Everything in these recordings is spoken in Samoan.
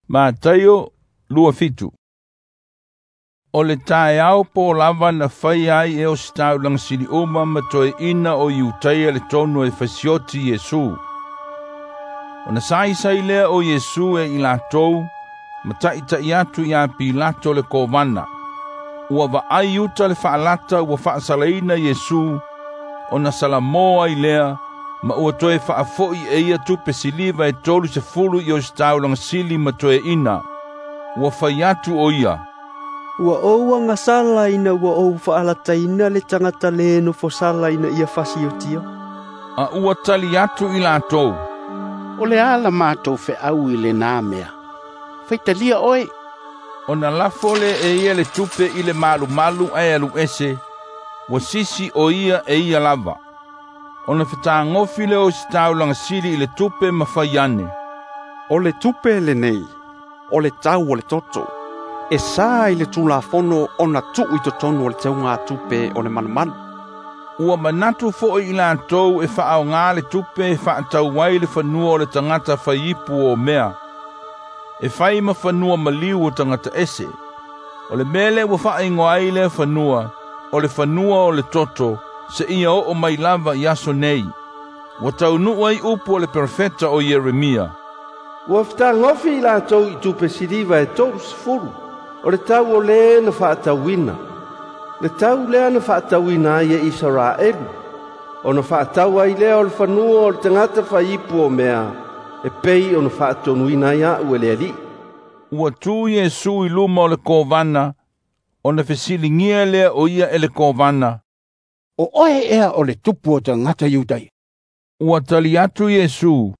Mataio 27. O le taeao po lava na faia ai e ositaulaga sili uma ma toeaina o Iutaia le tonu e fasioti Iesu. Ona saisai lea o Iesu e i latou, ma taʻitaʻi atu iā Pilato le kovana. Ua vaai uta le faalata ua faasalaina Iesu, ona salamo ai lea, ma ua toe faafoʻi e ia tupe siliva e 30 i ositaulaga sili ma toeaina. Ua fai atu o ia, Ua ou agasala ina ua ou faalataina le tagata lē nofosala ina ia fasiotia. A ua tali atu i latou, O le a la matou feau i lenā mea. Faitalia oe. Ona lafo lea e ia le tupe i le malumalu ae alu ese, ua sisi o ia e ia lava. Ona fetagofi lea o ositaulaga sili i le tupe ma fai ane, O le tupe lenei, o le tau o le toto. E sa i le tulafono ona tuu i totonu o le teugatupe o le malumalu. Ua manatu foʻi i latou e faaaogā le tupe e faatau ai le fanua o le tagata faiipu o mea, e fai ma fanua maliu o tagata ese. O le mea lea ua faaigoa ai lea fanua, o le fanua o le toto, seia oo mai lava i aso nei. Ua taunuu ai upu o le perofeta o Ieremia, Ua fetagofi i latou i tupe siliva e 30, o le tau o lē na faatauina. Le tau lea na faatauina ai e Isaraelu, ona faatau ai lea o le fanua o le tagata faiipu o mea, e pei ona faatonuina ai aʻu e le Alii. Ua tu Iesu i luma o le kovana, ona fesiligia lea o ia e le kovana, O oe ea o le tupu o tagata Iutaia. Ua tali atu Iesu,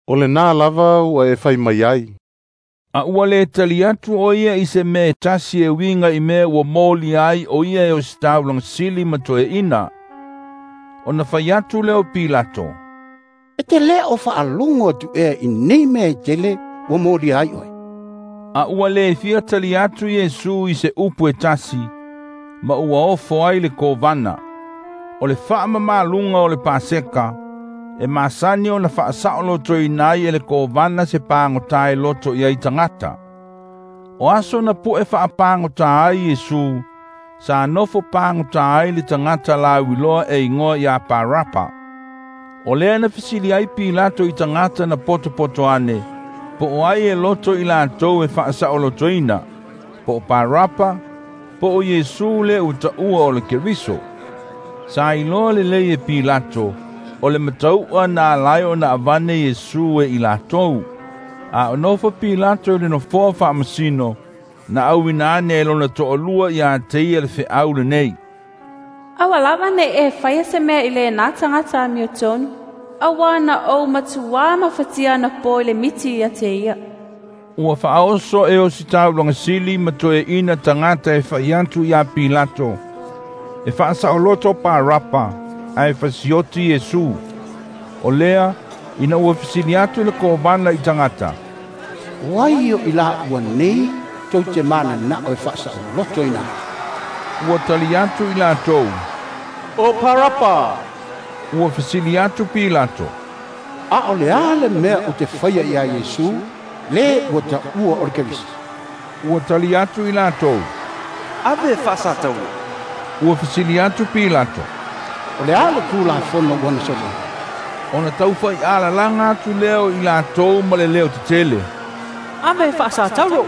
O lenā lava ua e fai mai ai. A ua le tali atu o ia i se mea e tasi e uiga i mea ua molia ai o ia e ositaulaga sili ma toeaina. Ona fai atu lea o Pilato, E te lē o faalogo atu ea i nei mea e tele ua molia ai oe. A ua le fia tali atu Iesu i se upu e tasi, ma ua ofo ai le kovana. O le faamamaluga o le Paseka, e masani ona faasaolotoina ai e le kovana se pagota e loto i ai tagata. O aso na puʻe faapagota ai Iesu, sa nofo pagota ai le tagata lauiloa e igoa iā Parapa. O lea na fesili ai Pilato i tagata na potopoto ane, po o ai e loto i latou e faasaolotoina, po o Parapa, po o Iesu le ua taua o le Keriso. Sa iloa lelei e Pilato, o le matauʻa na alai ona avane Iesu e i latou. A o nofo Pilato i le nofoa faamasino, na auina ane e lona toalua iā te ia le feau lenei, Aua lava nei e faia se mea i lenā tagata amiotonu, auā na ou matuā mafatia anapō i le miti ia te ia. Ua faaoso e ositaulaga sili ma toeaina tagata e fai atu iā Pilato, e faasaoloto Parapa, ae fasioti Iesu. O lea, ina ua fesili atu le kovana i tagata, O ai o i laua nei tou te mananao e faasaolotoina ai. Ua tali atu i latou, O Parapa. Ua fesili atu Pilato, A o le a le mea ou te faia iā Iesu, lē ua taua o le Keriso. Ua tali atu i latou, Ave e faasatauro. Ua fesili atu Pilato, O le a le tulafono ua na sologa. Ona taufaiꞌalalaga atu lea o i latou ma le leo tetele, Ave e faasatauro.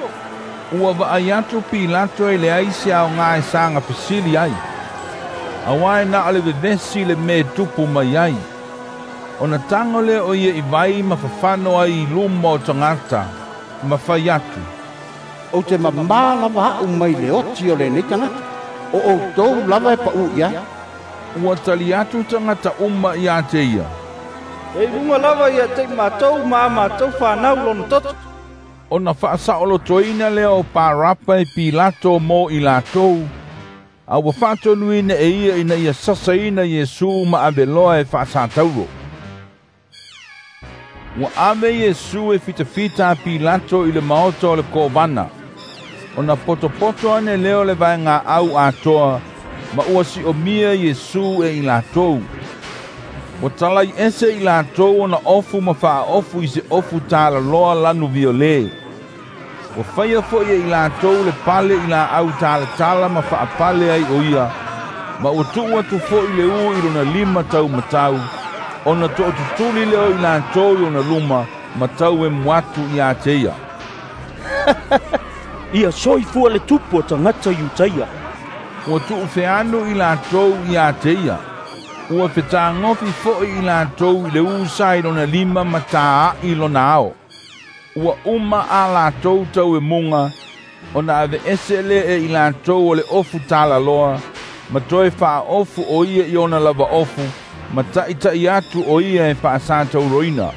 Ua vaai atu Pilato e leai se aogā e saga fesili ai, auā e na o le vevesi le mea e tupu mai ai. Ona tago lea o ia i vai ma fafano ai i luma o tagata, ma fai atu, Ou te mamā lava aʻu mai le oti o lenei tagata. O outou lava e paʻū i ai. Ua tali atu tagata uma iā te ia, E i luga lava ia te i matou ma a matou fanau lona toto. Ona faasaolotoina lea o Parapa e Pilato mo i latou, a ua faatonuina e ia ina ia sasaina Iesu ma aveloa e faasatauro. Ua ave Iesu e fitafita a Pilato i le maota o le kovana. Ona potopoto ane lea o le vaegaau atoa, ma ua siomia Iesu e i latou. Ua talai ese i latou ona ofu ma faaofu i se ofu talaloa lanu violē. Ua faia fo'i e i latou le pale i laau talatala ma faapale ai o ia, ma ua tuu atu fo'i le u i lona lima taumatau, ona to'atutuli lea o i latou i ona luma, ma tauemu atu ia te ia. Ia soifua le tupu o tagata Iutaia. Ua tu'ufeanu i latou ia te ia. Ua fetagofi fo'i i latou i le u sa i lona lima ma tāa'i lona ao. Ua uma a latou tauemuga, ona aveese lea e i latou o le ofu talaloa, ma toe faaofu o ia i ona lava ofu, ma ta'ita'i atu o ia e faasatauroina.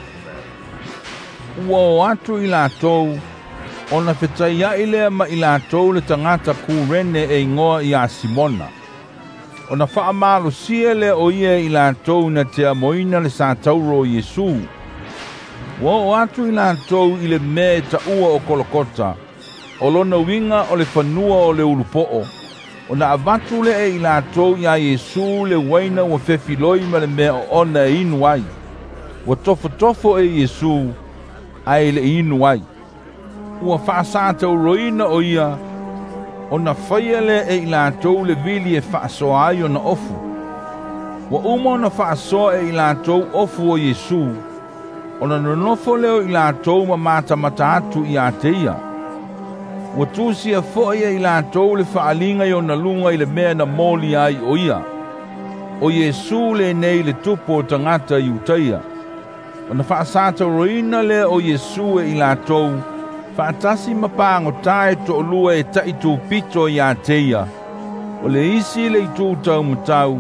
Ua o atu i latou, ona fetaia'i lea ma i latou le tagata Kurene e igoa ia Simona. Ona faamalosia lea o ia i latou na te amoina le satauro o Iesu. Ua oo atu i latou i le mea e taua o Kolokota, o lona uiga o le fanua o le ulupo'o, ona avatu lea e i latou iā Iesu le uaina ua fefiloi ma le mea oona e inu ai. Ua tofotofo e Iesu, ae le'i inu ai. Ua faasatauroina o ia, ona faia lea e i latou le vili e faasoa ai ona ofu. Ua uma ona faasoa e i latou ofu o Iesu, ona nonofo lea o i latou ma matamata atu ia te ia. Ua tusia fo'i e i latou le faaaliga i ona luga i le mea na moli ai o ia. O Iesu lenei le tupu o tagata Iutaia. Ona faasatauroina lea o Iesu e i latou, faatasi ma pagotā e to'alua e ta'itupito ia te ia, o le isi i le itū taumatau,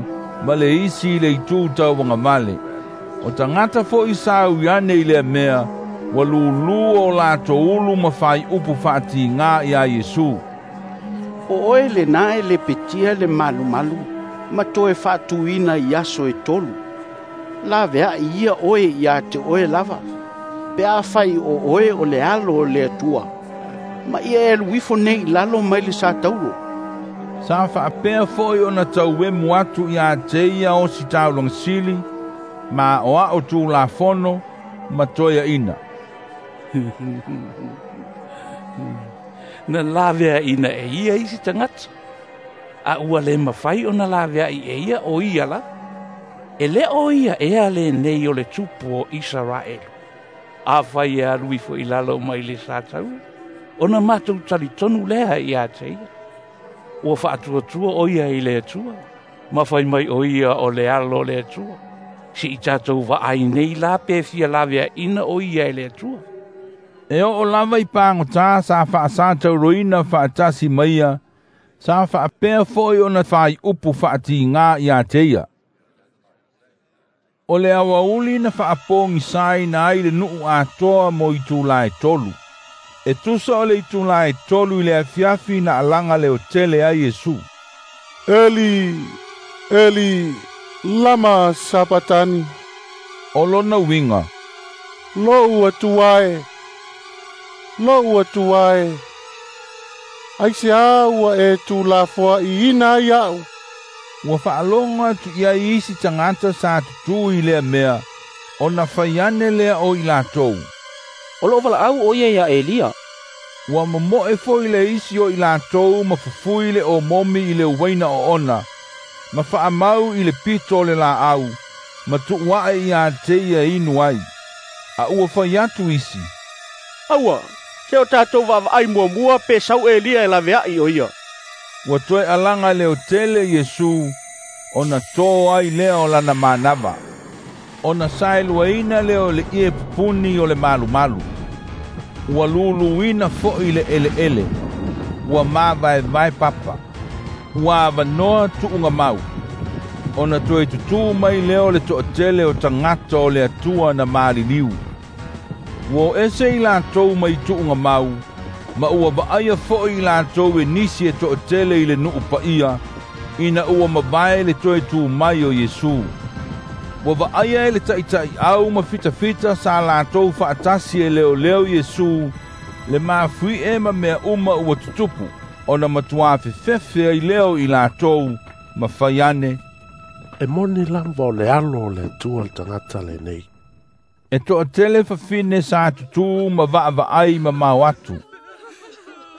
ma le isi i le itū tauagavale. O tagata fo'i sa ui ane i lea mea, ua lūlū o latou ulu ma faaiupu faatigā iā Iesu. O oe lenā e lepetia le malumalu, ma toe faatuina i aso e 3. Lavea'i ia oe ia te oe lava, pe afai o oe o le alo o le Atua, ma ia e alu ifo nei i lalo mai le satauro. Sa faapea fo'i ona tauemu atu ia te ia osi taulaga sili, ma aoa'o tulafono ma toeaʻina. Na laveaʻina e ia isi tagata, a ua le mafai ona laveaʻi e ia o ia lava. E lē o ia ea lenei o le tupu o Isaraelu. Afai e alu ifo i lalo mai le satauro, ona matou talitonu lea ia te ia. Ua faatuatua o ia i le Atua, ma fai mai o ia o le alo o le Atua. Se'i tatou vaai nei la pe fia laveaʻina o ia e le Atua. E oo lava i pagotā sa faasatauroina faatasi ma ia, sa faapea fo'i ona faaiupu faatigā ia te ia. O le aoauli na faapogisaina ai le nu'u atoa mo itulā e 3. E tusa o le itulā e 3 i le afiafi na alaga leotele ai Iesu. Eli, Eli, lama sabatani. O lona uiga, Lo'u Atua e, lo'u Atua e, aiseā ua e tulafoaʻiina ai a'u. Ua faalogo atu i ai isi tagata sa tutū i lea mea, ona fai ane lea o i latou. O lo'o valaau o ia iā Elia. Ua momo'e fo'i le isi o i latou ma fufui le omomi i le uaina oona, ma faamau i le pito o le laau, ma tu'ua'e ia te ia e inu ai. A ua fai atu isi, Aua, se o tatou vaavaai muamua pe sau Elia e lavea'i o ia. Ua toe alaga leotele Iesu, ona tō ai lea o lana manava. Ona saeluaina lea o le ie pupuni o le malumalu. Ua luluina fo'i le eleele, ua mavaevae papa. Ua avanoa tu'ugamau. Ona toe tutū mai lea o le to'atele o tagata o le Atua na maliliu. Ua o ese i latou mai tu'ugamau, ma ua vaaia fo'i i latou e nisi e to'atele i le nu'u paia, ina ua mavae le toe tū mai o Iesu. Ua vaaia e le ta'ita'i'au ma fitafita sa latou fa'atasi e leoleo Iesu, le mafui'e ma mea uma ua tutupu, ona matuā fefefe ai lea o i latou, ma fai ane, E moni lava o le alo o le Atua le tagata lenei. E to'atele fafine sa tutū ma va'ava'ai mamao atu.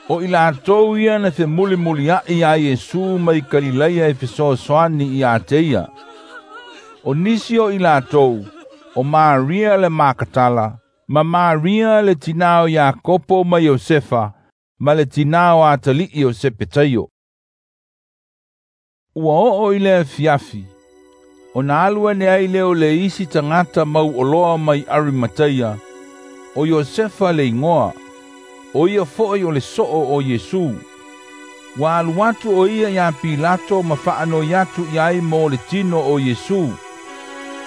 O i latou ia na femulimulia'i iā Iesu mai Kalilaia e fesoasoani ia te ia. O nisi o i latou, o Maria le Makatala, ma Maria le tinā o Iakopo ma Iosefa, ma le tinā o atali'i o Sepetaio. Ua oo i le afiafi, ona alu ane ai lea o le isi tagata mauoloa mai Arimateia, o Iosefa le igoa, o ia fo'i o le so'o o Iesu. Ua alu atu o ia iā Pilato ma fa'anoi atu i ai mo le tino o Iesu.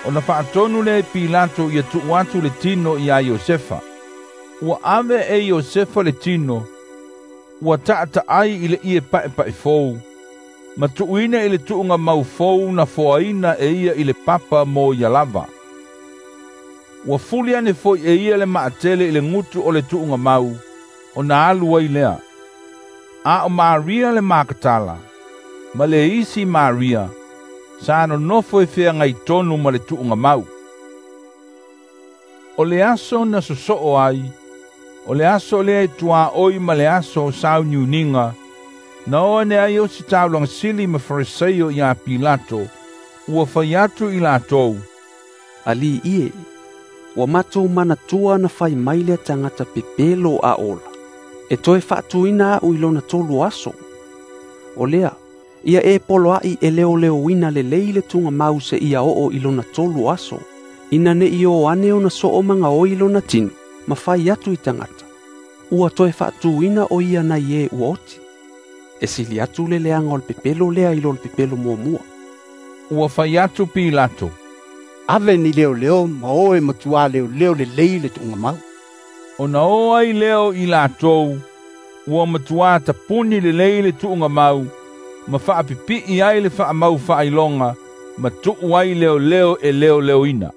Ona fa'atonu lea e Pilato ia tu'u atu le tino iā Iosefa. Ua ave e Iosefa le tino, ua ta'ata'ai i le ie pa'epa'e fou, ma tu'uina i le tu'uga mau fou na foaina e ia i le papa mo ia lava. Ua fuli ane fo'i e ia le ma'atele i le gutu o le tu'uga mau, ona alu ai lea. A o Maria le Makatala, ma le isi Maria, sa nonofo e feagai tonu ma le tu'uga mau. O le aso na soso'o ai, o le aso lea e tuā'oi ma le aso o sauniuniga, na o ane ai ositaulaga sili ma Fariseo iā Pilato, ua fai atu i latou, Alii e, ua matou manatua na fai mai lea tagata pepelo a ola, e toe fa'atuina a'u i lona tolu aso. O lea, ia e poloa'i e leoleoina lelei le tugamau se'ia oo i lona tolu aso, ina ne'i o ane ona so'o magaoi lona tino, ma fai atu i tagata, ua toe fa'atuina o ia nai e ua oti. E sili atu le leaga o le pepelo lea i lo le pepelo muamua. Ua fai atu Pilato, Ave ni leoleo ma o e matuā leoleo lelei le tu'ugamau. Ona o ai lea o i latou, ua matuā tapuni lelei le tu'ugamau, ma fa'apipi'i ai le fa'amau fa'ailoga, ma tu'u ai leoleo e leoleoina.